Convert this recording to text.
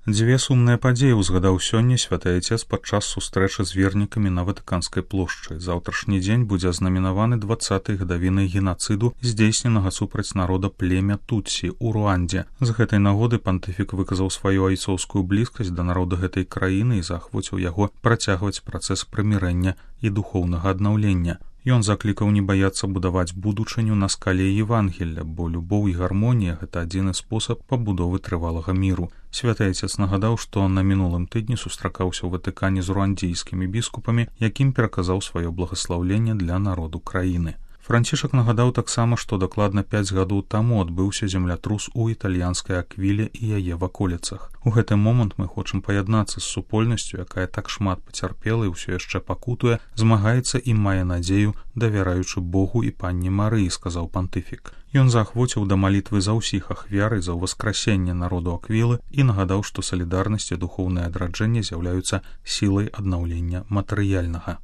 Дзве сумныя падзеі ўзгадаў сёння святы Айцец падчас сустрэчы з вернікамі на Ватыканскай плошчы. Заўтрашні дзень будзе азнаменаваны 20-й гадавінай генацыду, здзейсненага супраць народа племя Тутсі ў Руандзе. З гэтай нагоды пантыфік выказаў сваю айцоўскую блізкасць да народа гэтай краіны і заахвоціў яго працягваць працэс прымірэння і духоўнага аднаўлення. Ён заклікаў не баяцца будаваць будучыню на скале Евангелля, бо любоў і гармонія – гэта адзіны спосаб пабудовы трывалага міру. Святы Айцец нагадаў, што на мінулым тыдні сустракаўся ў Ватыкане з руандзійскімі біскупамі, якім пераказаў сваё благаслаўленне для народу краіны. Францішак нагадаў таксама, што дакладна 5 гадоў таму адбыўся землятрус у італьянскай Аквіле і яе ваколіцах. У гэты момант мы хочам паяднацца з супольнасцю, якая так шмат пацярпела і ўсё яшчэ пакутуе, змагаецца і мае надзею, давяраючы Богу і панне Марыі, сказаў пантыфік. Ён заахвоціў да малітвы за ўсіх ахвяр і за ўваскрасенне народу Аквілы і нагадаў, што салідарнасць і духоўнае адраджэнне з'яўляюцца сілай аднаўлення матэрыяльнага.